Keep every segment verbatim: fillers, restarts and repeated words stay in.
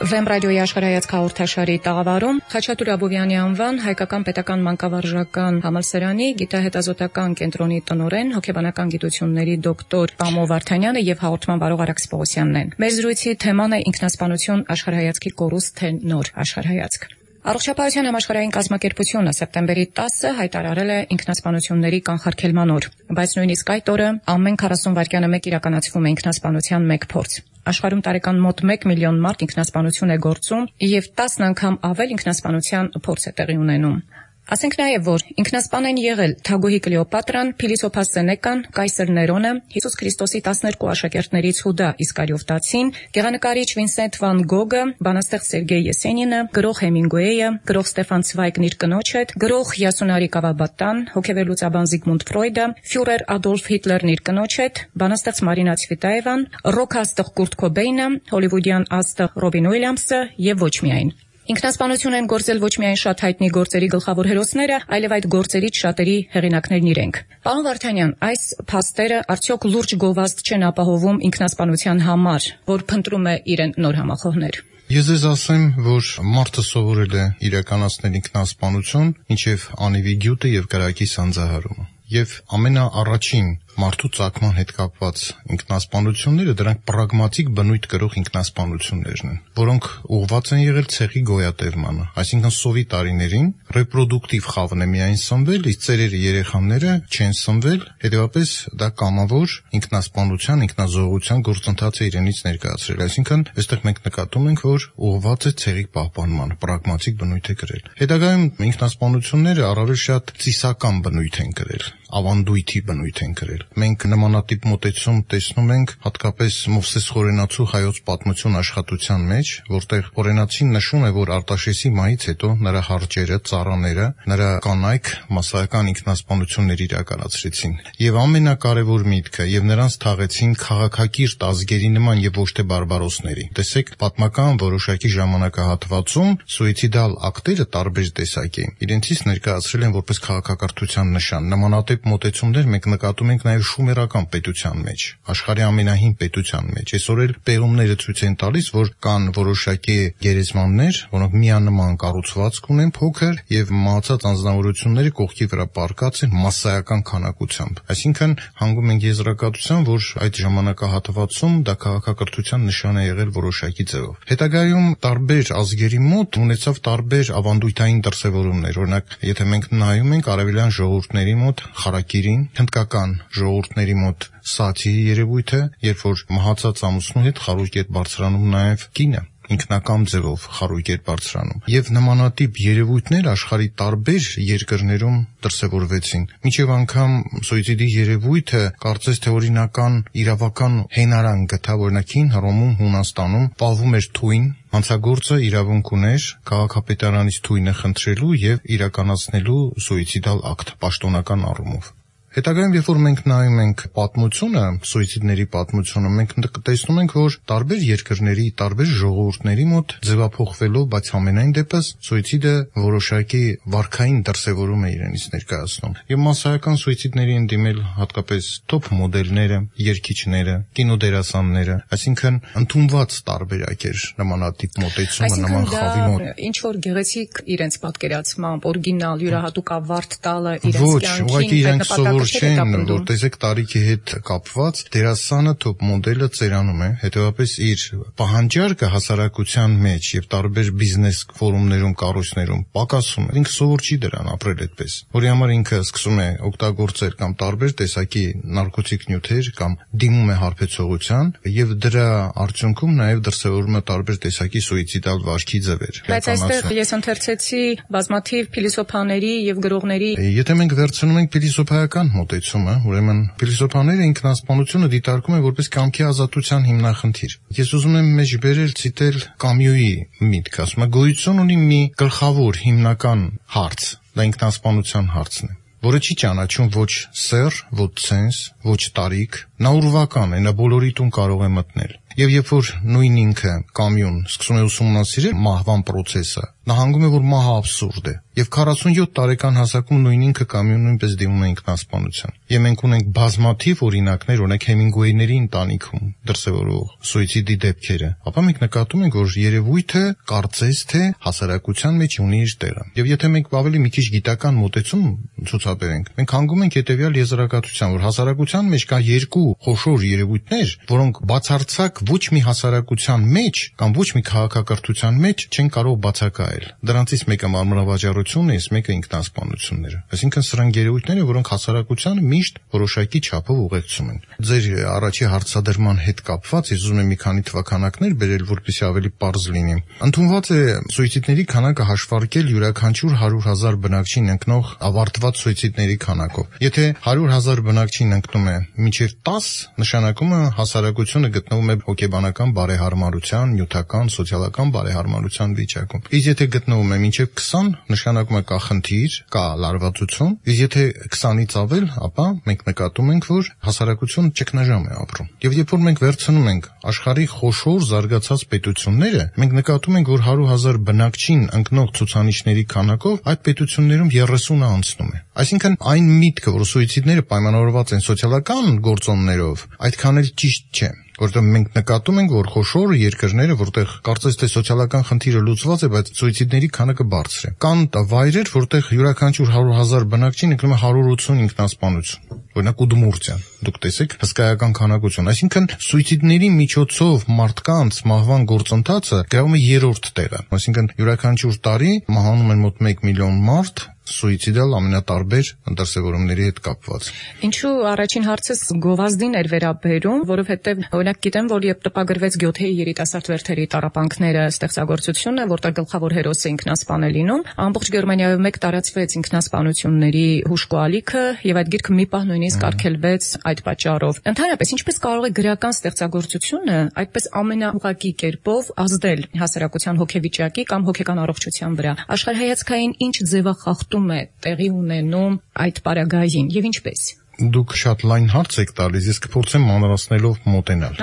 Վեմ ռադիոյի աշխարհայացք հաղորդաշարի տաղավարում Խաչատուր Աբովյանի անվան հայկական պետական մանկավարժական համալսարանի գիտահետազոտական կենտրոնի տնօրեն հոգեբանական գիտությունների դոկտոր Պամո Վարդանյանը եւ հաղորդման բարող Արաքս Պողոսյանն են։ Մեր զրույցի թեման է ինքնասպանություն աշխարհայացքի կորուստ թե նոր աշխարհայացք։ Առողջապահության համաշխարհային կազմակերպությունը սեպտեմբերի տասը հայտարարել է ինքնասպանությունների կանխարգելման օր, բայց նույնիսկ այդ օրը ամեն քառասուն վայրկյանը մեկ իրականացվում է ինքնասպանության մեկ փորձ։ Աշխարհում տարեկան մոտ մեկ միլիոն մարդ ինքնասպանություն է գործում եւ տասն անգամ ավել ինքնասպանության փորձ է տեղի ունենում։ Ասենք նաև, որ ինքնասպան են եղել Թագուհի Կլեոպատրան, Փիլիսոփաս Սենեկան, Կայսր Ներոնը, Հիսուս Քրիստոսի տասներկու աշակերտներից Հուդա Իսկարիովտացին, գեղանկարիչ Վինսենտ վան Գոգը, բանաստեղծ Սերգեյ Եսենինը, գրող Հեմինգուեյը, գրող Ստեֆան Ցվայգն իր կնոջ հետ, գրող Յասունարի Կավաբատան, հոգեվերլուծաբան Զիգմունդ Ֆրոյդը, ֆյուրեր Ադոլֆ Հիտլերն իր կնոջ հետ, բանաստեղծ Մարինա Ցվիտաևան, ռոք աստղ Կուրտ Քոբեյնը, հոլիվուդյան աստղ Ռոբին Ուիլյամսը եւ ոչ միայն։ Ինքնասպանություն են գործել ոչ միայն շատ հայտնի գործերի գլխավոր հերոսները, այլև այդ գործերից շատերի հեղինակներն իրենք։ Պարոն Վարդանյան, այս փաստերը արդյոք լուրջ գովազդ չեն ապահովում ինքնասպանության համար, որ փնտրում է իրեն նոր համախոհներ։ Ես ձեզ ասեմ, որ մարդը սովորել է իրականացնել ինքնասպանություն, ինչև անիվի գյուտը եւ կրակի սանձահարումը։ Եվ ամենաառաջին մարդու ծագման հետ կապված ինքնասպանությունները դրանք պրագմատիկ բնույթ կրող ինքնասպանություններն են, որոնք ուղղված են եղել ցեղի գոյատևմանը, այսինքն սովի տարիներին ռեպրոդուկտիվ խավն է միայն սնվել, իսկ ծերերը երեխաները չեն սնվել, հետևաբար դա կամավոր ինքնասպանության, ինքնազոհության գործընթաց է իրենից ներկայացրել, այսինքն այստեղ մենք նկատում ենք, որ ուղղված է ցեղի պահպանմանը, պրագմատիկ բնույթ է կրել։ Հետագայում ինքնասպանությունները առավել շատ ծիսական բնույթ են կրել, ավանդույթի բնույթ են կրել։ Մենք նմանատիպ մոտեցում տեսնում ենք հատկապես Մովսես Խորենացու հայոց պատմություն աշխատության մեջ, որտեղ Խորենացին նշում է, որ Արտաշեսի մահից հետո նրա հարճերը, ծառաները, նրա կանայք մասսայական ինքնասպանություններ իրականացրեցին։ Եվ ամենակարևոր միտքը, եւ նրանց թաղեցին քաղաքակիրթ ազգերի նման եւ ոչ թե բարբարոսների։ Տեսեք, պատմական որոշակի ժամանակահատվածում սուիցիդալ ակտերը տարբեր տեսակ էին։ Իրենցից ներկայացրել են որպես քաղաքակրթության նշան։ Նմանատիպ մոտեցումներ մենք նկատում ենք նաև շումերական պետության մեջ, աշխարհի ամենահին պետության մեջ։ Այսօր էլ պեղումները ցույց են տալիս, որ կան որոշակի գերեզմաններ, որոնք միանման կառուցվածք ունեն փոքր եւ մահացած անձնավորությունները կողքի վրա պառկած են մասսայական քանակությամբ։ Այսինքն հանգում ենք եզրակացության, որ այդ ժամանակահատվածում դա քաղաքակրթության նշան է եղել որոշակի ձևով։ Հետագայում տարբեր ազգերի մոտ ունեցավ տարբեր ավանդույթային դրսևորումներ։ Օրինակ, եթե մենք նայում ենք արևելյան ժողովուրդների մոտ խարակիրին, հնդկական ժողովուրդների մոտ սաթիի երևույթը, երբ որ մահացած ամուսնու հետ խարույկ էր բարձրանում նաև կինը, ինքնակամ ձևով խարույկ էր բարձրանում։ Եվ նմանատիպ երևույթներ աշխարհի տարբեր երկրներում դրսևորվեցին։ Մինչև անգամ սուիցիդի երևույթը կարծես թե օրինական իրավական հենարան գտա, օրինակ հին Հռոմում, Հունաստանում պահվում էր թույն, հանցագործը իրավունք ուներ քաղաքապետարանից թույնը խնդրելու եւ իրականացնելու սուիցիդալ ակտ պաշտոնական առումով։ Հետագայում, երբ որ մենք նայում ենք պատմությունը, սուիցիդների պատմությունը, մենք տեսնում ենք, որ տարբեր երկրների, տարբեր ժողովուրդների մոտ ձևափոխվելով, բայց ամենայն դեպս սուիցիդը որոշակի վարքային դրսևորում է իրենից ներկայացնում։ Եվ մասսայական սուիցիդների են դիմել հատկապես top մոդելները, երգիչները, կինոդերասանները, այսինքն ընդունված տարբերակ էր նմանատիպ մոտեցումը նման խավի մոտ։ Ինչ որ գեղեցիկ իրենց պատկերացմամբ, օրիգինալ, յուրահատուկ ավարտ տալը իրենց կյանքին չեն, որ տեսեք տարիքի հետ կապված դերասանը top մոդելը ծերանում է, հետևաբար իր պահանջարկը հասարակության մեջ եւ տարբեր բիզնես ֆորումներում, կառույցներում պակասում է։ Ինքը սովոր չի դրան ապրել այդպես, որի համար ինքը սկսում է օգտագործել կամ տարբեր տեսակի նարկոտիկ նյութեր կամ դիմում է հարբեցողության եւ դրա արդյունքում նաեւ դրսեւորում է տարբեր տեսակի սուիցիդալ վարքի ձևեր։ Բայց այստեղ ես ընթերցեցի բազմաթիվ փիլիսոփաների եւ գրողների։ Եթե մենք վերցնում ենք փիլիսոփայական մոտեցումը, ուրեմն փիլիսոփաները ինքնասպանությունը դիտարկում են որպես կամքի ազատության հիմնախնդիր։ Ես ուզում եմ մեջբերել ցիտել Կամյուի միտքը, ասում է գոյություն ունի մի գլխավոր հիմնական հարց, դա ինքնասպանության հարցն է, որը չի ճանաչում ոչ սեռ, ոչ ցենս, ոչ տարիք, նա ուրվական է, նա բոլորի տուն կարող է մտնել։ Եվ երբ որ նույն ինքը կամյուն սկսում է ուսումնասիրել մահվան process-ը, նահանգում է, որ մահը абսուրդ է։ Եվ քառասունյոթ տարեկան հասակում նույն ինքը կամյուն նույնպես դիմում է ինքնասպանության։ Եվ մենք ունենք բազմաթիվ օրինակներ, օրինակ Հեմինգուեյների ընտանիքում դրսևորվող սուիցիդի դեպքերը, ապա մենք նկատում ենք, որ երևույթը կարծես թե հասարակության մեջ ունի իր տեղը։ Եվ եթե մենք ավելի մի քիչ գիտական մոտեցում ցուցաբերենք, մենք հանգում ենք հետևյալ եզրակացության, որ հասարակության մեջ կա երկու խոշոր երևույթներ, որոնք բացարձակ ոչ մի հասարակության մեջ կամ ոչ մի քաղաքակրթության մեջ չեն կարող բացակայել։ Դրանցից մեկը մարմնավաճառությունն է, իսկ մեկը ինքնասպանությունները։ Այսինքն սրանք երևույթներ են, որոնք հասարակությանը միշտ որոշակի չափով ուղեկցում են։ Ձեր առաջի հարցադրման հետ կապված ես ուզում եմ մի քանի թվաքանակներ բերել, որպեսզի ավելի պարզ լինի։ Ընդունված է սուիցիդների քանակը հաշվարկել յուրաքանչյուր հարյուր հազար բնակչին ընկնող ավարտված սուիցիդների քանակով։ Եթե հարյուր հազար բնակչին ընկնում է մինչև տաս, նշանակում է հասարակությունը գտնվում է հոգեբանական բարեհարմարության, նյութական, սոցիալական բարեհարմարության վիճակում։ Իսկ եթե գտնվում է մինչև քսան, նշանակում է կա խնդիր, կա լարվածություն, իսկ եթե քսանից ավել, ապա մենք նկատում ենք, որ հասարակությունը ճգնաժամ է ապրում։ Եվ երբ որ մենք վերցնում ենք աշխարհի խոշոր զարգացած պետությունները, մենք նկատում ենք, որ հարյուր հազար բնակչին ընկնող ցուցանիշների քանակով այդ պետություններում երեսունը անցնում է։ Այսինքն այն միտքը, որ սուիցիդները պայմանավորված են սոցիալական գործոններով, այդքան էլ ճիշտ չէ։ Որտեղ մենք նկատում ենք, որ խոշոր երկրները, որտեղ կարծես թե սոցիալական խնդիրը լուծված է, բայց սուիցիդների քանակը բարձր է։ Կան վայրեր, որտեղ յուրաքանչյուր հարյուր հազար բնակչին ընկնում է հարյուր ութսուն ինքնասպանություն։ Օրինակ Ուդմուրտիան։ Դուք տեսեք հսկայական քանակություն։ Այսինքն սուիցիդների միջոցով մարդկանց մահվան գործընթացը գրավում է երրորդ տեղը։ Այսինքն յուրաքանչյուր տարի մահանում են մոտ մեկ միլիոն մարդ սուիցիդալ ամենատարբեր դրսևորումների հետ կապված։ Ինչու առաջին հարցս գովազդին էր վերաբերում, որովհետև օրինակ գիտեմ, որ երբ տպագրվեց Գյոթեի երիտասարդ վերթերի տառապանքները ստեղծագործությունը, որտեղ գլխավոր հերոսը ինքնասպան է լինում, ամբողջ Գերմանիայում մեկ տարածվեց ինքնասպանությունների հուշկու ալիքը եւ այդ գիրքը մի պահ նույնիսկ արգելվեց այդ պատճառով։ Ընդհանրապես, ինչպես կարող է գրական ստեղծագործությունը այդպես ամենաուղղակի կերպով ազդել հասարակության հոգեվիճակի կամ հոգեկան առողջության վրա։ Աշխարհայացքային ինչ ձևախախտում է տեղի ունենում այդ պարագային եւ ինչպես։ Դուք շատ լայն հարց եք տալիս, ես կփորձեմ մանրացնելով մոտենալ։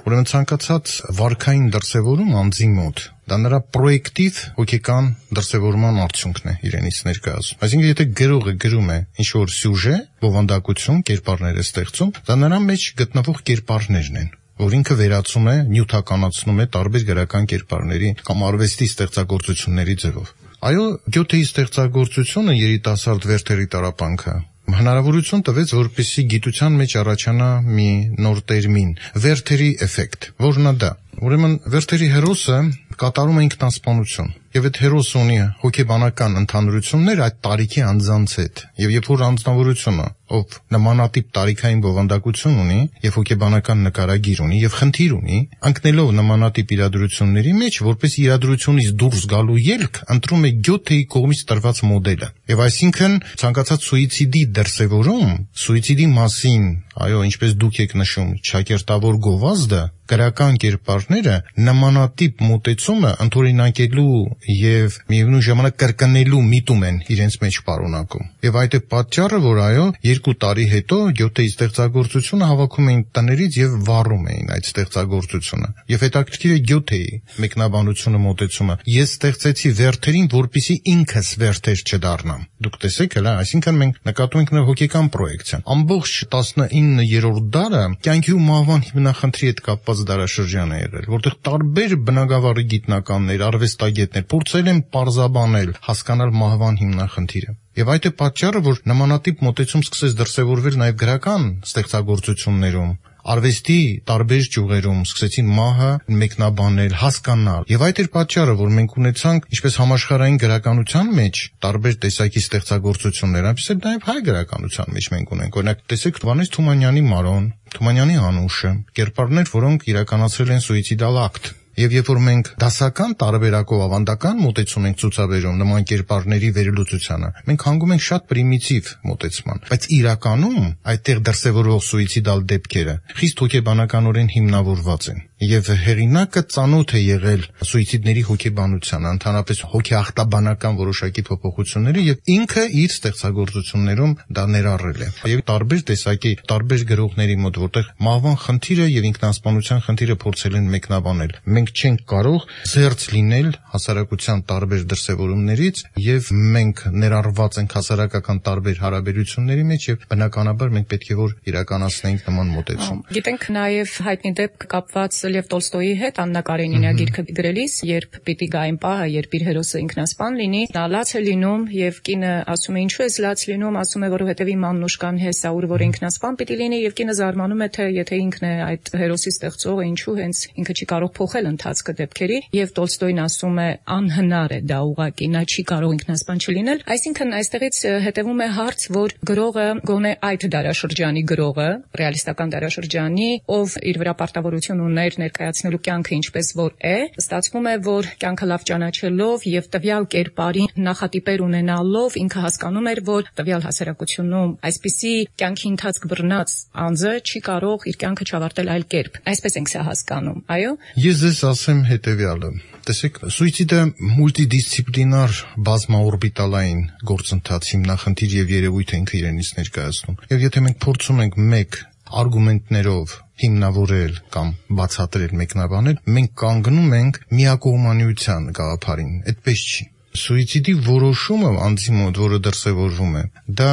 Ուրեմն ցանկացած վարքային դրսևորում անձի մոտ դա նրա պրոյեկտիվ հոգեկան դրսևորման արդյունքն է իրենից ներկայացում։ Այսինքն եթե գրողը գրում է ինչ-որ սյուժե, բովանդակություն, կերպարներ է ստեղծում, դա նրա մեջ գտնվող կերպարներն են, որ ինքը վերացում է, նյութականացնում է տարբեր գրական կերպարների կամ արվեստի ստեղծագործությունների ձևով։ Այո, Գյոթեի ստեղծագործությունը երիտասարդ վերթերի տառապանքը հնարավորություն տվեց, որպեսզի գիտության մեջ առաջանա մի նոր տերմին՝ վերթերի էֆեկտ, որն է դա։ Ուրեմն վերթերի հերոսը կատարում է ինքնասպանություն, եւ այդ հերոսը ունի հոգեբանական ընդհանրություններ այդ տարիքի անձանց հետ, եւ երբ որ անձնավորությունը, ով նմանատիպ տարիքային բովանդակություն ունի եւ հոգեբանական նկարագիր ունի եւ խնդիր ունի, ընկնելով նմանատիպ իրադրությունների մեջ, որպես իրադրությունից դուրս գալու ելք, ընտրում է Գյոթեի կողմից տրված մոդելը։ Եվ այսինքն ցանկացած սուիցիդի դրսևորում, սուիցիդի մասին, այո, ինչպես դուք եք նշում, ճակերտավոր գովազդը, գրական կերպարները նմանատիպ մոտեցումը ընդօրինակելու եւ միևնույն ժամանակ կրկնելու միտում են իրենց մեջ պարունակում։ Եվ այդ է պատճառը, որ այո, երկու տարի հետո Գյոթեի ստեղծագործությունը հավաքում էին տներից եւ վառում էին այդ ստեղծագործությունը։ Եվ հետաքրքիր է Գյոթեի մեկնաբանությունը մոտեցումը։ Ես ստեղծեցի վերթերին, որպեսզի ինքս վերթեր չդառնամ։ Դուք տեսեք, հələ, այսինքն մենք նկատում ենք նրա հոգեկան պրոյեկցիան։ Ամբողջ տասնիններորդ դարը կյանքի ու մահվան հիմնախնդրի հետ կապված դարաշրջան է եղել, որտեղ տարբեր բնագավառի գիտնականներ, արվեստագետներ փորձել են պարզաբանել, հասկանալ մահվան հիմնախնդիրը։ Եվ այդ է պատճառը, որ նմանատիպ մոտեցում սկսեց դրսևորվել նաև գրական ստեղծագործություններում, արվեստի տարբեր ճյուղերում սկսեցին մահը մեկնաբանել, հասկանալ։ Եվ այդ էր պատճառը, որ մենք ունեցանք ինչպես համաշխարհային գրականության մեջ տարբեր տեսակի ստեղծագործություններ, այնպես էլ նաև հայ գրականության մեջ մենք ունենք։ Օրինակ, տեսեք Վանես Թումանյանի Մարոն, Թումանյանի Անուշը, կերպարներ, որոնք իրականացրել են սուիցիդալ ակտ։ Եվ երբ որ մենք դասական տարբերակով ավանդական մոտեցում ենք ցուցաբերում նման կերպարների վերլուծությանը, մենք հանգում ենք շատ պրիմիտիվ մոտեցման, բայց իրականում այդտեղ դրսևորվող սուիցիդալ դեպքերը խիստ հոգեբանականորեն հիմնավորված են։ եւ հեղինակը ծանոթ է եղել սուիցիդների հոգեբանությանը, ընդհանրապես հոգեախտաբանական որոշակի փոփոխությունների եւ ինքը իր ստեղծագործություններում դա ներառել է։ Եվ տարբեր տեսակի, տարբեր գրողների մոտ, որտեղ մահվան խնդիրը եւ ինքնասպանության խնդիրը փորձել են մեկնաբանել։ Մենք չենք կարող զերծ լինել հասարակության տարբեր դրսևորումներից եւ մենք ներառված ենք հասարակական տարբեր հարաբերությունների մեջ եւ բնականաբար մենք պետք է որ իրականացնենք նման մոտեցում։ Գիտենք նաեւ հայտնի դեպք կապված Լև Տոլստոյի հետ Աննա Կարենինյա գիրքը գրելիս, երբ պիտի գա այն պահը, երբ իր հերոսը ինքնասպան լինի, նա լաց է լինում եւ կինը ասում է ինչու ես լաց լինում, ասում է որովհետեւ իմ Մանուշկան հեսա ուր որ ինքնասպան պիտի լինի եւ կինը զարմանում է թե եթե ինքն է այդ հերոսի ստեղծողը, ինչու հենց ինքը չի կարող փոխել ընթացքը դեպքերի եւ Տոլստոյն ասում է անհնար է դա ուղղակի, նա չի կարող ինքնասպան չլինել։ Այսինքն այստեղից հետևում է հարց, որ գրողը գոնե այդ դարաշրջանի գրողը, ռեալիստական դարաշրջանի, ով իր վրա պարտավորություն ուներ ներկայացնելու կյանքը ինչպես որ է, ստացվում է, որ կյանքը լավ ճանաչելով եւ տվյալ կերպարի նախատիպեր ունենալով ինքը հասկանում էր, որ տվյալ հասարակությունում այսպիսի կյանքի ընթացք բռնած անձը չի կարող իր կյանքը չավարտել այլ կերպ։ Այսպես ենք սա հասկանում, այո։ Ես ձեզ ասեմ հետեւյալը. տեսեք, սուիցիդը մուլտիդիսցիպլինար բազմաօրբիտալային գործընթաց, հիմնախնդիր եւ երևույթ է ինքը իրենից ներկայացնում։ Եվ եթե մենք փորձում ենք մեկ արգումենտներով հիմնավորել կամ բացատրել, մեկնաբանել, մենք կանգնում ենք միակողմանիության գաղափարին։ Այդպես չի։ Սուիցիդի որոշումը անձի մոտ, որը դրսևորվում է, դա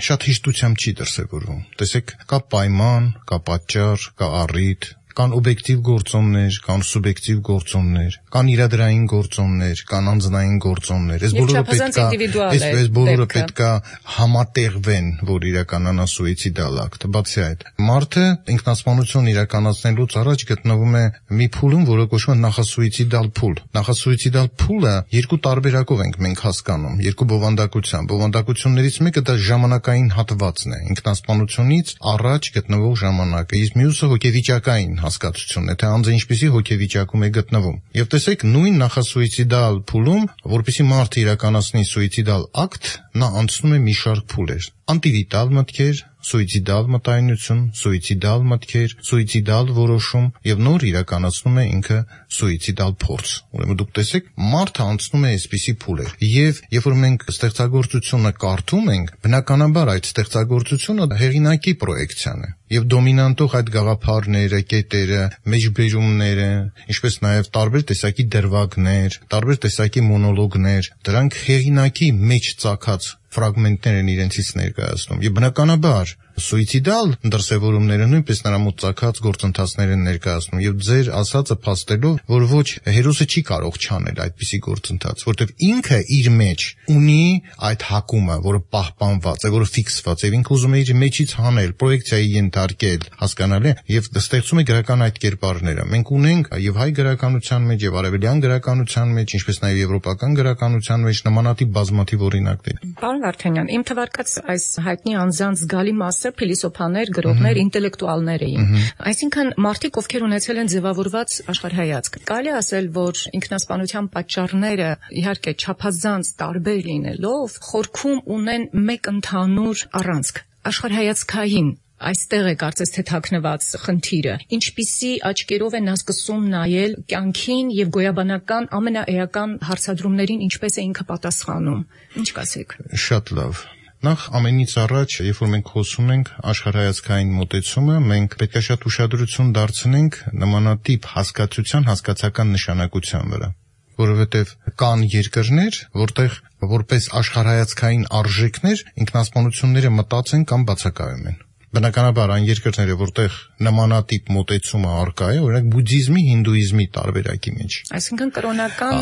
շատ հեշտությամբ չի դրսևորվում։ Տեսեք, կա պայման, կա պատճառ, կա առիթ, կան օբյեկտիվ գործոններ, կան սուբյեկտիվ գործոններ, կան իրադրային գործոններ, կան անձնային գործոններ։ Այս բոլորը պետք է, այս բոլորը պետք է համատեղվեն, որ իրականանա սուիցիդալ ակտ։ Բացի այդ, մարդը ինքնասպանություն իրականացնելուց առաջ գտնվում է մի փուլում, որը կոչվում է նախասուիցիդալ փուլ։ Նախասուիցիդալ փուլը երկու տարբերակով ենք մենք հասկանում, երկու բովանդակությամբ։ Բովանդակություններից մեկը դա ժամանակային հատվածն է, ինքնասպանությունից առաջ գտնվող ժամանակը, իսկ մյուսը հոգեվիճակային հասկացությունն է, թե անձը ինչպիսի հոգեվիճակում է գտնվում։ Եվ տեսեք, նույն նախասուիցիդալ փուլում, որպեսզի մարդը իրականացնի սուիցիդալ ակտ, նա անցնում է մի շարք փուլեր։ Անտիվիտալ մտքեր, սուիցիդալ մտայնություն, սուիցիդալ մտքեր, սուիցիդալ որոշում եւ նոր իրականացնում է ինքը սուիցիդալ փորձ։ Ուրեմն դուք տեսեք, մարդը անցնում է այսպիսի փուլեր։ Եվ երբ որ մենք ստեղծագործությունը կարդում ենք, բնականաբար այդ ստեղծագործությունը հեղինակի պրոյեկցիան է։ Եվ դոմինանտող այդ գաղափարները, կետերը, մեջբերումները, ինչպես նաև տարբեր տեսակի դրվագներ, տարբեր տեսակի մոնոլոգներ, դրանք հեղինակի մեջ ծագած ֆրագմենտներ են իրենցից ներկայացնում։ Եվ բնականաբար սուիցիդալ դրսևորումները նույնպես նրա մոտ ծագած գործընթացներ են ներկայացնում եւ ձեր ասածը փաստելով, որ ոչ հերոսը չի կարող չանել այդպիսի գործընթաց, որտեւ ինքը իր մեջ ունի այդ հակումը, որը պահպանված է, որը ֆիքսված է, ինքը ուզում է իր մեջից հանել, պրոյեկցիայի ենթարկել, հասկանալի, եւ ստեղծում է գրական այդ կերպարները։ Մենք ունենք եւ հայ գրականության մեջ եւ արևելյան գրականության մեջ, ինչպես նաեւ եվրոպական գրականության մեջ նմանատիպ բազմաթիվ օրինակներ։ Պարոն Վարդանյան, իմ թվարկած այս հայտնի անձանց զգալի մասը փիլիսոփաներ, գրողներ, ինտելեկտուալներ էին։ Այսինքն մարդիկ, ովքեր ունեցել են ձևավորված աշխարհայացք։ Կարելի ասել, որ ինքնասպանության պատճառները իհարկե չափազանց տարբեր լինելով, խորքում ունեն մեկ ընդհանուր առանցք՝ աշխարհայացքային։ Այստեղ է կարծես թե թաքնված խնդիրը։ Ինչպիսի աչքերով է նա սկսում նայել կյանքին եւ գոյաբանական ամենաէական հարցադրումներին, ինչպես է ինքը պատասխանում։ Ինչ կասեք։ Շատ լավ։ Նախ ամենից առաջ, երբ որ մենք խոսում ենք աշխարհայացքային մոտեցումը, մենք պետք է շատ ուշադրություն դարձնենք նմանատիպ հասկացության հասկացական նշանակության վրա, որովհետև կան երկրներ, որտեղ որպես աշխարհայացքային արժեքներ ինքնասպանությունները մտած են կամ բացակայում են։ Բնականաբար այն երկրները, որտեղ նմանատիպ մոտեցումը առկա է, օրինակ բուդդիզմի, հինդուիզմի տարբերակի մեջ։ Այսինքն կրոնական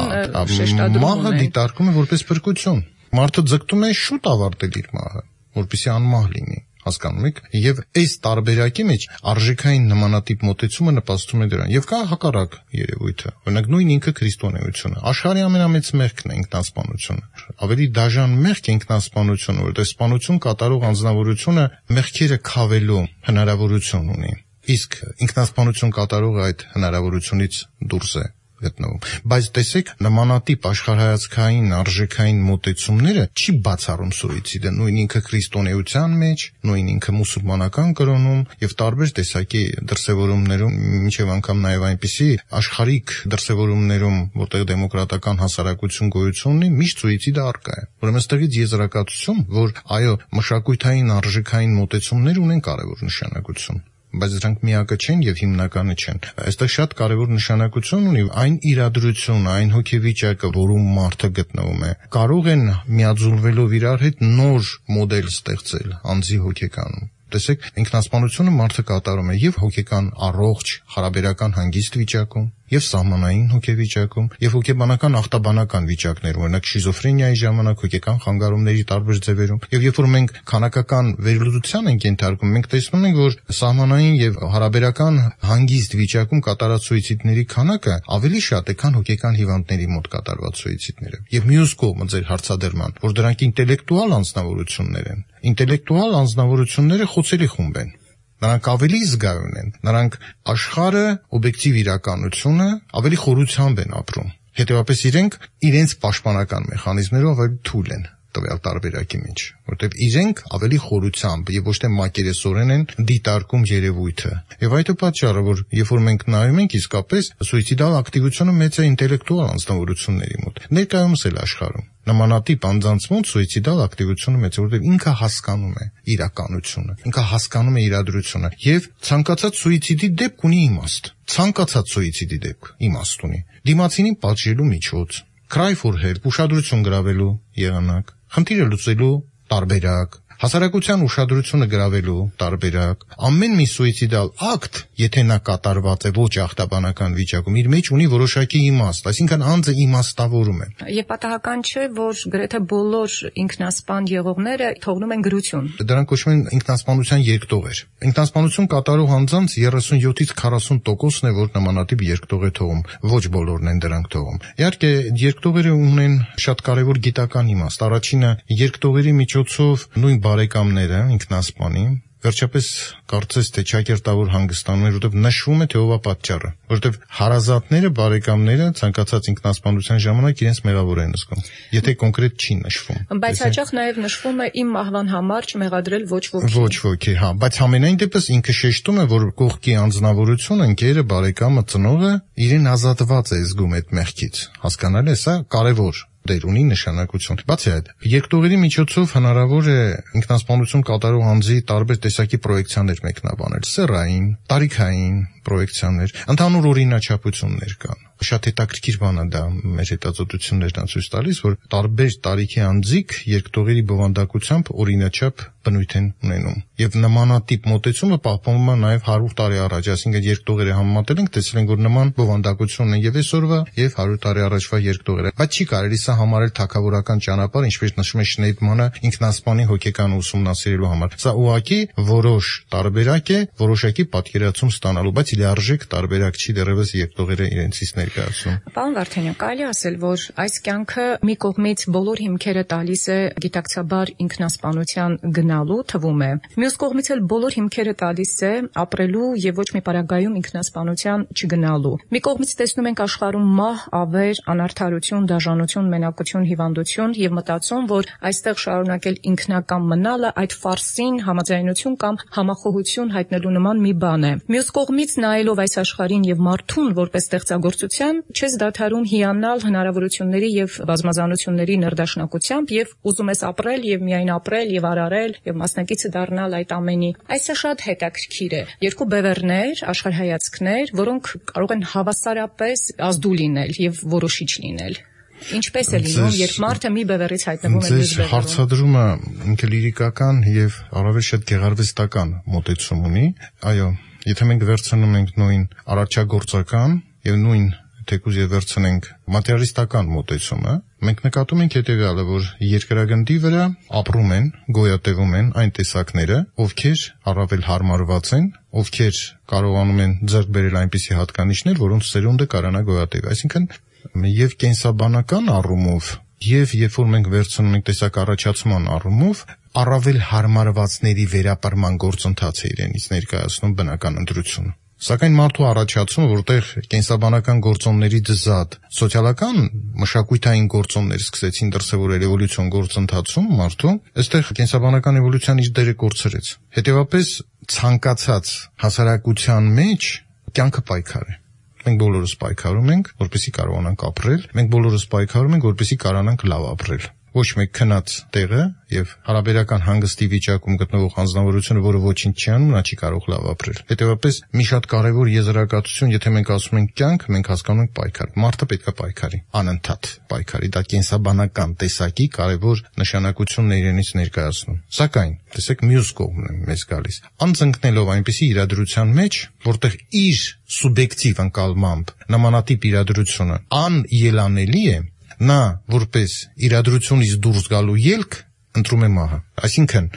շեշտադրում է։ Մահը դիտարկվում է որպես փրկություն։ Մարդը ձգտում է շուտ ավարտել իր մահը, որպեսզի անմահ լինի, հասկանում եք, եւ այս տարբերակի մեջ արժեքային նմանատիպ մոտեցումը նպաստում է դրան։ Եվ կա հակառակ երևույթը, օրինակ նույն ինքը քրիստոնեությունը։ Աշխարհի ամենամեծ մեղքն է ինքնասպանությունը։ Ավելի դաժան մեղք է ինքնասպանությունը, որտեղ սպանություն կատարող անձնավորությունը մեղքերը քավելու հնարավորություն ունի։ Իսկ ինքնասպանություն կատարողը այդ հնարավորությունից դուրս է։ գտնվում։ Բայց տեսեք, նմանատիպ աշխարհայացքային արժեքային մոտեցումները չի բացառում սուիցիդը, նույն ինքը քրիստոնեության մեջ, նույն ինքը մուսուլմանական կրոնում եւ տարբեր տեսակի դրսեւորումներում, մինչեւ անգամ նաեւ այնպիսի աշխարհիկ դրսեւորումներում, որտեղ դեմոկրատական հասարակություն գոյություն ունի, միշտ սուիցիդը առկա է։ Ուրեմն այստեղից եզրակացություն, որ այո, մշակութային արժեքային մոտեցումներ ունեն կարևոր նշանակություն, բայց դրանք միակը չեն եւ հիմնականը չեն։ Այստեղ շատ կարևոր նշանակություն ունի այն իրադրությունը, այն հոգեվիճակը, որում մարդը գտնվում է։ Կարող են միաձուլվելով իրար հետ նոր մոդել ստեղծել անձի հոգեկանում։ Տեսեք, ինքնասպանությունը մարդը կատարում է եւ հոգեկան առողջ, հարաբերական հանգիստ վիճակում, եւ սահմանային հոգեվիճակում, եւ հոգեբանական ախտաբանական վիճակներում, օրինակ շիզոֆրենիայի ժամանակ, հոգեկան խանգարումների տարբեր ձևերում, եւ երբ որ մենք քանակական վերլուծության ենք ենթարկում, մենք տեսնում ենք, որ սահմանային եւ հարաբերական հանգիստ վիճակում կատարած սուիցիդների քանակը ավելի շատ է, քան հոգեկան հիվանդների մոտ կատարված սուիցիդները։ Եվ մյուս կողմը ձեր հարցադրման, որ դրանք ինտելեկտուալ անձնավորություններ են։ Ինտելեկտուալ անձնավորությունները խոցելի խումբ են։ Նրանք ավելի զգայուն են, նրանք աշխարհը, օբյեկտիվ իրականությունը ավելի խորությամբ են ապրում։ Հետևաբար իրենք իրենց պաշտպանական մեխանիզմներով ավելի թույլ են տվյալ տարբերակի մեջ, որտեղ իրենք ավելի խորությամբ եւ ոչ թե մակերեսորեն են դիտարկում երևույթը։ Եվ այդ է պատճառը, որ երբ որ մենք նայում ենք իսկապես սուիցիդալ ակտիվությունը մեծ է ինտելեկտուալ անձնավորությունների մոտ, ներկայումս էլ աշխարհում նմանատիպ անձանց մոտ սուիցիդալ ակտիվությունը մեծ է, որտեղ ինքը հասկանում է իրականությունը, ինքը հասկանում է իրադրությունը եւ ցանկացած սուիցիդի դեպք ունի իմաստ, ցանկացած սուիցիդի դեպք իմաստ ունի, դիմացինին պատժելու միջոց, cry for help, ուշադրություն գրավելու եղանակ, խնդիրը լուծելու տարբերակ, հասարակության ուշադրությունը գրավելու տարբերակ, ամեն մի սուիցիդալ ակտ, եթե նա կատարված է ոչ ախտաբանական վիճակում, իր մեջ ունի որոշակի իմաստ, այսինքն անձը իմաստավորում է։ Եվ պատահական չէ, որ գրեթե բոլոր ինքնասպան եղողները թողնում են գրություն։ Դրանք կոչվում են ինքնասպանության երկտողեր։ Ինքնասպանություն կատարող անձանց երեսունյոթից քառասուն տոկոսն է, որ նմանատիպ երկտող է թողում, ոչ բոլորն են դրանք թողում։ Իհարկե, երկտողերը ունեն շատ կարևոր գիտական իմաստ։ Առաջինը, երկտողերի միջոցով նույն բարեկամները ինքնասպանի, վերջապես կարծես թե ճակերտավոր հանգստանում էր, որտեղ նշվում է թե ով է պատճառը, որտեղ հարազատները, բարեկամները ցանկացած ինքնասպանության ժամանակ իրենց մեղավոր են զգում, եթե կոնկրետ չի նշվում։ Բայց հաճախ նաև նշվում է իմ մահվան համար չմեղադրել ոչ ոքի։ Ոչ ոքի, հա, բայց համենայն դեպս ինքը շեշտում է, որ կողքի անձնավորությունը, ընկերը, բարեկամը, ծնողը իրեն ազատված է զգում այդ մեղքից։ Հասկանալի է, սա կարևոր դեր ունի նշանակություն։ Բացի այդ, երկտողերի միջոցով հնարավոր է ինքնասպանություն կատարող անձի տարբեր տեսակի պրոյեկցիաներ մեկնաբանել, սեռային, տարիքային պրոյեկցիաներ, ընդհանուր օրինաչափություններ կան։ Շատ հետաքրքիր բան է դա, մեր հետազոտություններն ցույց տալիս, որ տարբեր տարիքի անձիկ երկտողերի բովանդակությամբ օրինաչափ բնույթ են ունենում։ Եվ նմանատիպ մոտեցումը պահպանվում է նաև հարյուր տարի առաջ, այսինքն երկտողերը համեմատել ենք, տեսել ենք, որ նման բովանդակությունն է եւ այսօրվա եւ հարյուր տարի առաջվա երկտողերը։ Բայց չի կարելի սա համարել թագավորական ճանապարհ, ինչպես նշում է Շնեյդմանը ինքնասպանի հոգեկան ուսումնասիրելու համար։ Սա ուղղակի որոշ տարբերակ է, որոշակի պատկերացում ստանալու, բայց լիարժեք տարբերակ չի դեռևս երկտողերը իրենցից ներկայացնում։ Պարոն Վարդանյան, կարելի ասել, որ այս կյանքը մի կողմից բոլոր հիմքերը տալիս է գիտակցաբար ինքնասպանության գնալու, թվում է։ Մյուս կողմից էլ բոլոր հիմքերը տալիս է ապրելու եւ ոչ մի պարագայում ինքնասպանության չգնալու։ Մի կողմից տեսնում ենք աշխարհում մահ, ավեր, անարդարություն, դաժանություն, մենակություն, հիվանդություն եւ մտածում, որ այստեղ շարունակել ինքնական մնալը այդ ֆարսին համաձայնություն կամ համախոհություն հայտնելու նման մի բան է։ Մյուս կողմից նայելով այս աշխարհին եւ մարդուն որպես ստեղծագործության, չես դադարում հիանալ հնարավորությունների եւ բազմազանությունների ներդաշնակությամբ եւ ուզում ես ապրել եւ միայն ապրել եւ արարել եւ մասնակիցը դառնալ այդ ամենի։ Այսը շատ հետաքրքիր է։ Երկու բևեռներ, աշխարհայացքներ, որոնք կարող են հավասարապես ազդու լինել եւ որոշիչ լինել։ Ինչպես է լինում, երբ մարդը մի բևեռից հայտնվում է մյուս բևեռում։ Հարցադրումը ինքը լիրիկական եւ առավել շատ գեղարվեստական մոտեցում ունի։ Այո, եթե մենք վերցնում ենք նույն արարչագործական եւ նույն թեկուզ եւ վերցնենք մատերիալիստական մոտեցումը, մենք նկատում ենք հետեւյալը, որ երկրագնդի վրա ապրում են, գոյատևում են այն տեսակները, ովքեր առավել հարմարված են, ովքեր կարողանում են ձեռք բերել այնպիսի հատկանիշներ, որոնց սերունդը կարողանա գոյատևել։ Այսինքն եւ կենսաբանական առումով եւ երբ որ մենք վերցնում ենք տեսակ առաջացման առումով, առավել հարմարվածների վերապրման գործընթաց է իրենից ներկայացնում բնական ընտրությունը։ Սակայն մարդու առաջացումը, որտեղ կենսաբանական գործոնների դզատ սոցիալական մշակութային գործոններ սկսեցին դրսևորել էվոլյուցիոն գործընթացում մարդու, այստեղ կենսաբանական էվոլյուցիան իր դերը կորցրեց։ Հետևաբար ցանկացած հասարակության մեջ կյանքը պայքար է։ Մենք բոլորս պայքարում ենք, որպեսզի կարողանանք ապրել, մենք բոլորս պայքարում ենք, որպեսզի կարողանանք լավ ապրել։ Ոչ մեկ քնած տեղը եւ հարաբերական հանգստի վիճակում գտնվող անձնավորությունը, որը ոչինչ չի անում, նա չի կարող լավ ապրել։ Հետևաբար մի շատ կարևոր եզրակացություն, եթե մենք ասում ենք կյանք, մենք հասկանում ենք պայքար։ Մարդը պետք է պայքարի, անընդհատ պայքարի։ Դա կենսաբանական տեսակի կարևոր նշանակությունն է իրենից ներկայացնում։ Սակայն, տեսեք, մյուս կողմն է մեզ գալիս։ Անձնքնելով այնպիսի իրադրության մեջ, որտեղ իր սուբյեկտիվ ընկալմամբ նմանատիպ իրադրությունը անելանելի է, նա որպես իրադրությունից դուրս գալու ելք ընտրում է մահը։ Այսինքն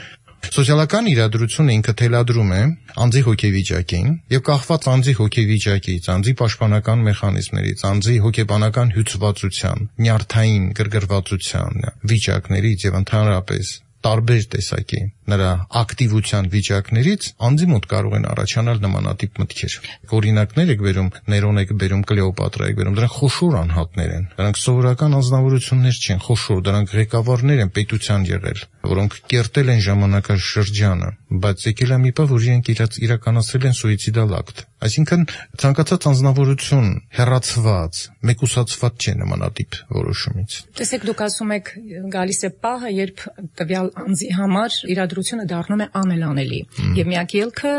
սոցիալական իրադրությունը ինքը թելադրում է անձի հոգեվիճակին եւ կախված անձի հոգեվիճակից, անձի պաշտպանական մեխանիզմներից, անձի հոգեբանական հյուծվածության, նյարդային գրգռվածության վիճակներից եւ ընդհանրապես տարբեր տեսակի նրա ակտիվության վիճակներից անձի մոտ կարող են առաջանալ նմանատիպ մտքեր։ Օրինակներ եք բերում, Ներոն եք բերում, Կլեոպատրա եք բերում, դրանք խոշոր անհատներ են։ Դրանք սովորական անձնավորություններ չեն, խոշոր, դրանք ղեկավարներ են պետության եղել, որոնք կերտել են ժամանակաշրջանը, բայց եկել է մի բան, որ իրենք իրաց իրականացրել են սուիցիդալ ակտ։ Այսինքն ցանկացած անձնավորություն հեռացված, մեկուսացված չէ նմանատիպ որոշումից։ Տեսեք, դուք ասում եք գալիս է պահը, երբ տվյալ անձի համար իրադրությունը դառնում է անելանելի, եւ միակ ելքը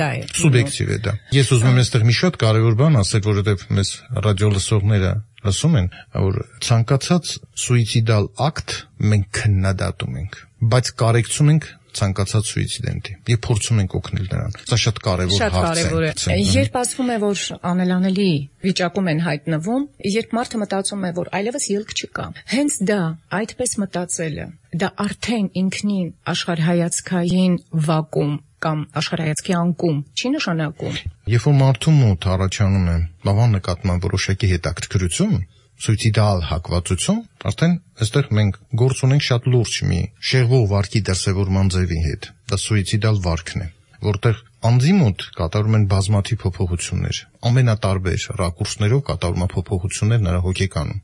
դա է։ Սուբյեկտիվ է դա։ Ես ուզում եմ այստեղ մի շատ կարևոր բան ասել, որովհետեւ մեզ ռադիո լսողները ասում են, որ ցանկացած սուիցիդալ ակտ մենք քննադատում ենք, բայց կարեկցում ենք ցանկացած սուիցիդենտի եւ փորձում ենք օգնել նրան։ Սա շատ կարևոր հարց է։ Երբ ասվում է, որ անելանելի վիճակում են հայտնվում, երբ մարդը մտածում է, որ այլևս ելք չկա, հենց դա, այդպես մտածելը, դա արդեն ինքնին աշխարհայացքային վակուում կամ աշխարհայացքի անկում չի նշանակում։ Երբ որ մարդու մոտ առաջանում է լավան նկատմամբ որոշակի հետաքրքրություն, սուիցիդալ հակվածություն, արդեն այստեղ մենք գործ ունենք շատ լուրջ մի շեղվող վարքի դրսևորման ձևի հետ։ Դա սուիցիդալ վարքն է, որտեղ անձի մոտ կատարում են բազմաթիվ փոփոխություններ, ամենատարբեր ռակուրսներով կատարում են փոփոխություններ նրա հոգեկանում,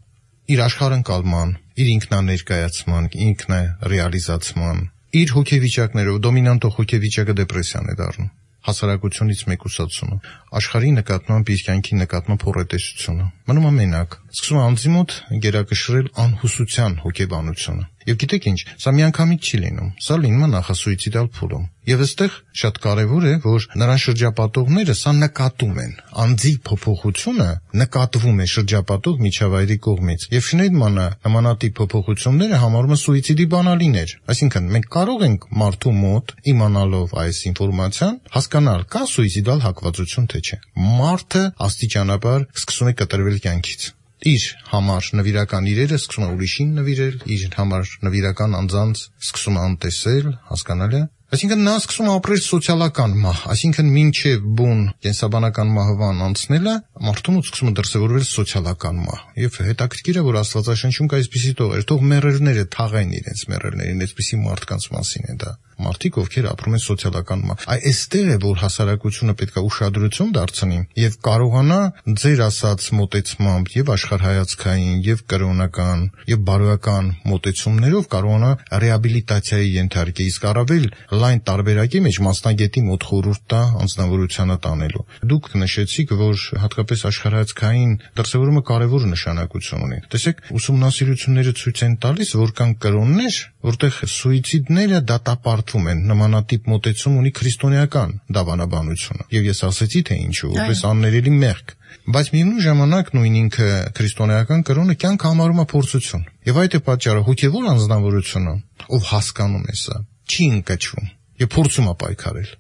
իր աշխարհընկալման, իր ինքնաներկայացման, ինքնարեալիզացման, իր հոգեվիճակներով դոմինանտող հոգեվիճակը դեպրեսիան է դառնում, հասարակությունից մեկուսացումը, աշխարհի նկատմամբ իր կյանքի նկատմամբ հոռետեսությունը, մնում է մենակ, սկսում է անձի մոտ գերակշռել անհուսության հոգեբանությունը։ Եվ գիտեք ինչ, սա միանգամից չի լինում, սա լինում է նախասուիցիդալ փուլում։ Եվ այստեղ շատ կարևոր է, որ նրան շրջապատողները սա նկատում են, անձի փոփոխությունը նկատվում է շրջապատող միջավայրի կողմից։ Եվ Շնեյդմանը նմանատիպ փոփոխությունները համարում է սուիցիդի բանալիներ։ Այսինքն մենք կարող ենք մարդու մոտ իմանալով այս ինֆորմացիան հասկանալ կա սուիցիդալ հակվածություն թե չէ։ Մարդը աստիճանաբար սկսում է կտրվել կյանքից։ Իր համար նվիրական իրերը սկսում է ուրիշին նվիրել, իր համար նվիրական անձանց սկսում է անտեսել, հասկանալ է։ Այսինքն նա սկսում է ապրել սոցիալական մահ, այսինքն մինչև բուն կենսաբանական մահվան անցնելը մարդու մոտ սկսում է դրսևորվել սոցիալական մահ։ Եվ հետաքրքիր է, որ Աստվածաշնչում կա այսպիսի տողեր, թող մեռելները թաղեն իրենց մեռելներին, այսպիսի մարդկանց մասին է դա։ Մարդիկ, ովքեր ապրում են սոցիալական մահ։ Այ այստեղ է, որ հասարակությունը պետք է ուշադրություն դարձնի եւ կարողանա ձեր ասած մոտեցմամբ եւ աշխարհայացքային եւ կրոնական եւ բարոյական մոտեցումներով կարողանա ռեաբիլիտացիայի ենթարկել, իսկ առավել լայն տարբերակի մեջ մասնագետի մոտ խորհուրդ տա անձնավորությանը տանելու։ Դուք նշեցիք, որ հատկապես աշխարհայացքային դրսևորումը կարևոր նշանակություն ունի։ Տեսեք, ուսումնասիրությունները ցույց են տալիս, որ կան կրոններ, որտեղ սուիցիդները դատապարտվում են, նմանատիպ մոտեցում ունի քրիստոնեական դավանաբանությունը։ Եվ ես ասեցի, թե ինչու, որպես աններելի մեղք։ Բայց միևնույն ժամանակ նույն ինքը քրիստոնեական կրոնը կյանք համարում է փորձություն։ Եվ այդ է պատճառը հոգևոր անձնավորությունը, ով հասկանում է սա, չի ընկճվում եւ փորձում է պայքարել։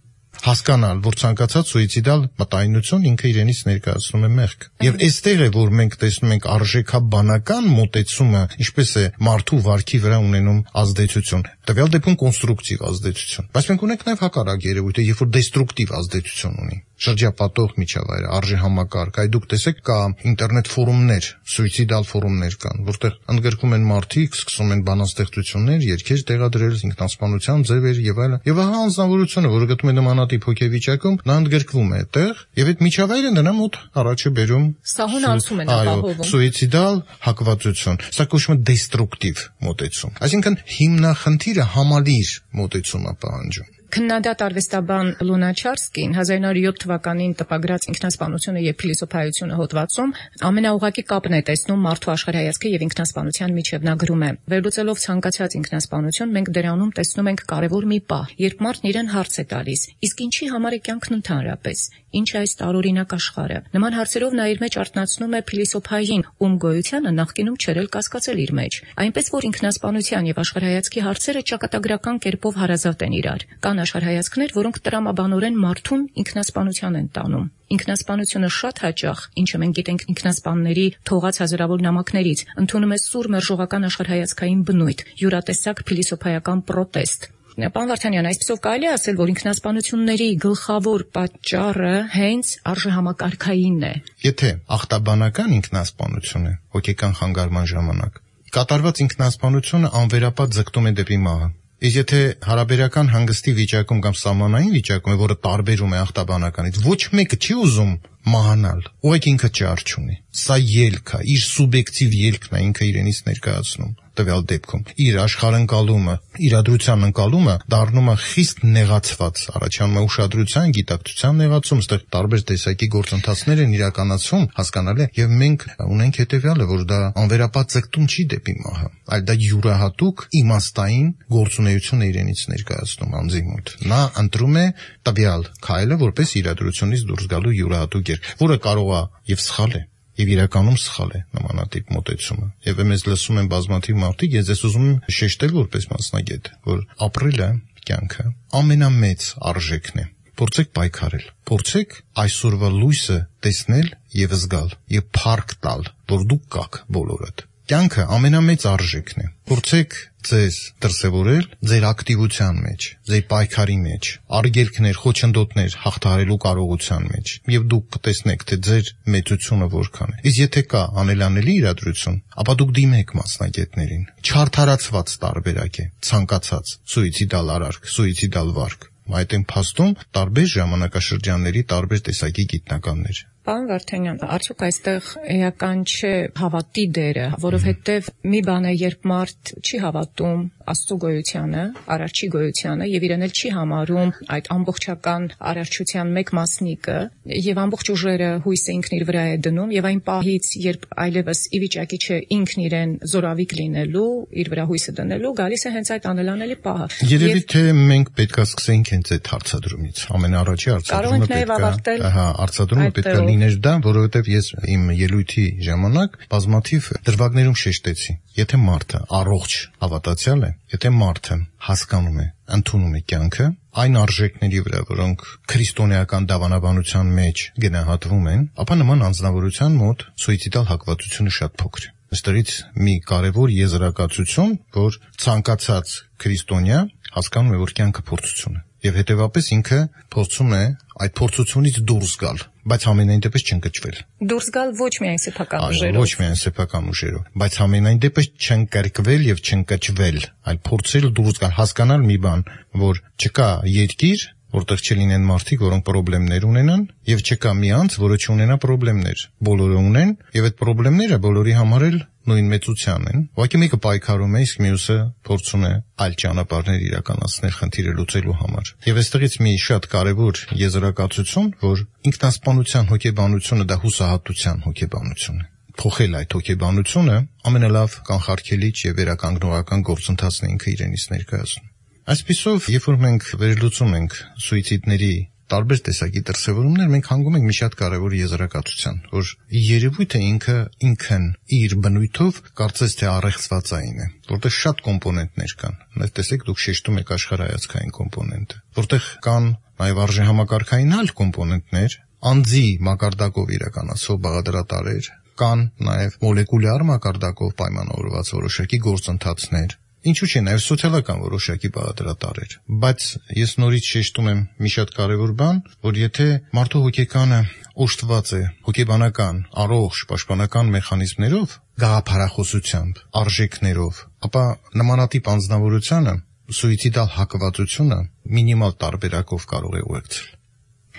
Հասկանալ, որ ցանկացած սուիցիդալ մտայնություն ինքը իրենից ներկայացնում է մեղք։ Եվ այստեղ է, որ մենք տեսնում ենք արժեքաբանական մոտեցումը, ինչպես է մարդու վարքի վրա ունենում ազդեցություն, տվյալ դեպքում կոնստրուկտիվ ազդեցություն։ Բայց մենք ունենք նաև հակառակ երևույթը, երբ որ դեստրուկտիվ ազդեցություն ունի։ շրջապատող միջավայրը, արժեհամակարգ, այ դուք տեսեք կա ինտերնետ ֆորումներ, սուիցիդալ ֆորումներ կան, որտեղ ընդգրկում են մարդիկ, սկսում են բանաստեղծություններ, երգեր տեղադրել, ինքնասպանության ձևեր եւ այլն։ Եվ ահա անձնավորությունը, որը գտնում է նմանատիպ հոգեվիճակում, նա ընդգրկվում է այդտեղ, եւ այդ միջավայրը նրա մոտ առաջ է բերում սահուն անցում են ապահովում սուիցիդալ հակվածություն, սա կոչվում է դեստրուկտիվ մոտեցում։ Այսինքն հիմնախնդիրը համալիր մոտեցում է պահանջում։ Քննադատ արվեստաբան Լունաչարսկին հազար նույնսուն յոթ թվականին տպագրած ինքնասպանությունը եւ փիլիսոփայությունը հոդվածում ամենաուղղակի կապն է տեսնում մարդու աշխարհայացքի եւ ինքնասպանության միջև։ Նա գրում է. վերլուծելով ցանկացած ինքնասպանություն, մենք դրանում տեսնում ենք կարևոր մի պահ, երբ մարդն իրեն հարց է տալիս. իսկ ինչի համար է կյանքն ընդհանրապես, ինչ է այս տարօրինակ աշխարհը։ Նման հարցերով նա իր մեջ արտնացնում է փիլիսոփային, ում գոյությանը նախկինում չէր էլ կասկածել իր մեջ, այնպես որ ինքնասպանության եւ աշխարհայացքի հարցերը ճակատագրական կերպով հարազատ են իրար։ Կան աշխարհայացքներ, որոնք տրամաբանորեն մարդուն ինքնասպանության են տանում։ Ինքնասպանությունը շատ հաճախ, ինչը մենք գիտենք ինքնասպանների թողած հազարավոր նամակներից, ընդունում է սուր մերժողական աշխարհայացքային բնույթ, յուրատեսակ փիլիսոփայական պրոտեստ։ Պարոն Վարդանյան, այսպեսով կարելի է ասել, որ ինքնասպանությունների գլխավոր պատճառը հենց արժեհամակարգային է։ Եթե ախտաբանական ինքնասպանությունը հոգեկան խանգարման ժամանակ կատարված ինքնասպանությունը անվերապատ ձգտում է դեպի մահը։ Իսկ եթե հարաբերական հանգստի վիճակում կամ սահմանային վիճակում է, որը տարբերում է ախտաբանականից, ոչ մեկը չի ուզում մահանալ, ուղղակի ինքը ճար չունի։ Սա ելք է, իր սուբյեկտիվ ելքն է ինքը իրենից ներկայացնում տվյալ դեպքում։ Իր աշխարհընկալումը, իրադրության ընկալումը դառնում է խիստ նեղացված, առաջանում է ուշադրության, գիտակցության նեղացում, այստեղ տարբեր տեսակի գործընթացներ են իրականացվում, հասկանալի է, եւ մենք ունենք հետեւյալը, որ դա անվերապատ ձգտում չի դեպի մահը, այլ դա յուրահատուկ իմաստային գործունեություն է իրենից ներկայացնում անձի մոտ։ Նա ընտրում է տվյալ քայլը որպես իրադրությունից դուրս գալու յուրահատուկ երկ, որը կարող է եւ սխալ է, եւ իրականում սխալ է նմանատիպ մոտեցումը։ Եվ մեզ լսում են բազմաթիվ մարդիկ, ես ես ուզում եմ շեշտել որպես մասնագետ, որ ապրելը, կյանքը ամենամեծ արժեքն է։ Փորձեք պայքարել, փորձեք այսօրվա լույսը տեսնել եւ զգալ եւ փառք տալ, որ դուք կաք բոլորդ։ Կյանքը ամենամեծ արժեքն է։ Փորձեք ձեզ դրսևորել ձեր ակտիվության մեջ, ձեր պայքարի մեջ, արգելքներ, խոչընդոտներ հաղթահարելու կարողության մեջ, եւ դուք կտեսնեք, թե ձեր մեծությունը որքան է։ Իսկ եթե կա անելանելի իրադրություն, ապա դուք դիմեք մասնագետներին։ Չարդարացված տարբերակ է ցանկացած սուիցիդալ արարք, սուիցիդալ վարք։ Այդ են փաստում տարբեր ժամանակաշրջանների տարբեր տեսակի գիտնականներ։ Պարոն Վարդանյան, արդյոք այստեղ էական չէ հավատի դերը, որովհետև մի բան է, երբ մարդ չի հավատում Աստծո գոյությանը, Արարչի գոյությանը եւ իրեն էլ չի համարում այդ ամբողջական արարչության մեկ մասնիկը եւ ամբողջ ուժերը հույսը ինքն իր վրա է դնում եւ այն պահից, երբ այլևս ի վիճակի չէ ինքն իրեն զորավիք լինելու, իր վրա հույսը դնելու, գալիս է հենց այդ անելանելի պահը։ Երևի թե մենք պետք է սկսենք հենց այդ հարցադրումից։ Ամենաառաջի հարցադրումը պետք է, ահա, հարցադրումը պետք է լիներ դա, որովհետև ես իմ ելույթի ժամանակ բազմաթիվ դրվագներում շեշտեցի։ Եթե մարդը առողջ հավատացյալ է, եթե մարդը հասկանում է, ընդունում է կյանքը, այն արժեքների վրա, որոնք քրիստոնեական դավանաբանության մեջ գնահատվում են, ապա նման անձնավորության մոտ սուիցիդալ հակվածությունը շատ փոքր է։ Այստեղից մի կարևոր եզրակացություն, որ ցանկացած քրիստոնյա հասկանում է, որ կյանքը փորձություն է, եւ հետեւաբար ինքը փորձում է այդ փորձությունից դուրս գալ, բայց ամենայն դեպս չընկճվել։ Դուրս գալ ոչ միայն սեփական ուժերով, ոչ միայն սեփական ուժերով, բայց ամենայն դեպս չընկրկվել եւ չընկճվել, այլ փորձել դուրս գալ, հասկանալ մի բան, որ չկա երկիր, որտեղ չլինեն մարդիկ, որոնք խնդիրներ ունենան, եւ չկա մի անձ, որը չունենա խնդիրներ։ Բոլորը ունեն, եւ այդ խնդիրները բոլորի համար էլ նույն մեծության են։ Ուղղակի մեկը պայքարում է, իսկ մյուսը փորձում է այլ ճանապարհներ իրականացնել խնդիրը լուծելու համար։ Եվ այստեղից մի շատ կարևոր եզրակացություն, որ ինքնասպանության հոգեբանությունը դա հուսահատության հոգեբանություն է։ Փոխել այդ հոգեբանությունը ամենալավ կանխարգելիչ եւ վերականգնողական գործընթացն է ինքը իրենից ներկայացնում։ Այսպիսով, երբ որ մենք վերլուծում ենք սուիցիդների տարբեր տեսակի դրսևորումներ, մենք հանգում ենք մի շատ կարևոր եզրակացության, որ երևույթը ինքը ինքն իր բնույթով կարծես թե առեղծվածային է, որտեղ շատ կոմպոնենտներ կան։ Ներս տեսեք, դուք շեշտում եք աշխարհայացքային կոմպոնենտը, որտեղ կան նաև արժեհամակարգային այլ կոմպոնենտներ, անձի մակարդակով իրականացվող բաղադրատարեր, կան նաև մոլեկուլյար մակարդակով պայմանավորված որոշակի գործընթացներ, Ինչու՞ չէ, նաև սոցիալական որոշակի բաղադրատար էր։ Բայց ես նորից շեշտում եմ մի շատ կարևոր բան, որ եթե մարդու հոգեկանը օժտված է հոգեբանական, առողջ, պաշտպանական մեխանիզմներով, գաղափարախոսությամբ, արժեքներով, ապա նմանատիպ անձնավորությանը սուիցիդալ հակվածությունը մինիմալ տարբերակով կարող է ուղեկցել։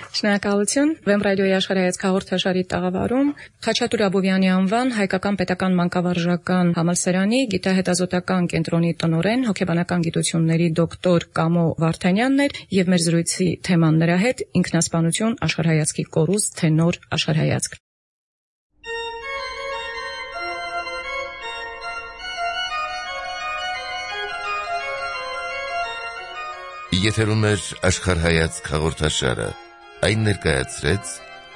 Շնորհակալություն։ Վեմ ռադիոյի աշխարհայացք հաղորդաշարի տաղավարում Խաչատուր Աբովյանի անվան Հայկական պետական մանկավարժական համալսարանի գիտահետազոտական կենտրոնի տնօրեն, հոգեբանական գիտությունների դոկտոր Կամո Վարդանյանն էր եւ մեր զրույցի թեման նրա հետ ինքնասպանություն աշխարհայացքի կորուստ, թե նոր աշխարհայացք։ Եթերում է աշխարհայացք հաղորդաշարը։ Այն ներկայացրեց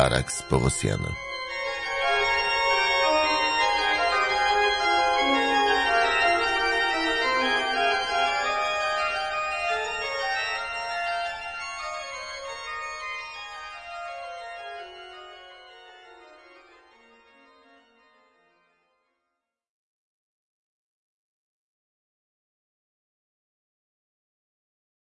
Արաքս Պողոսյանը։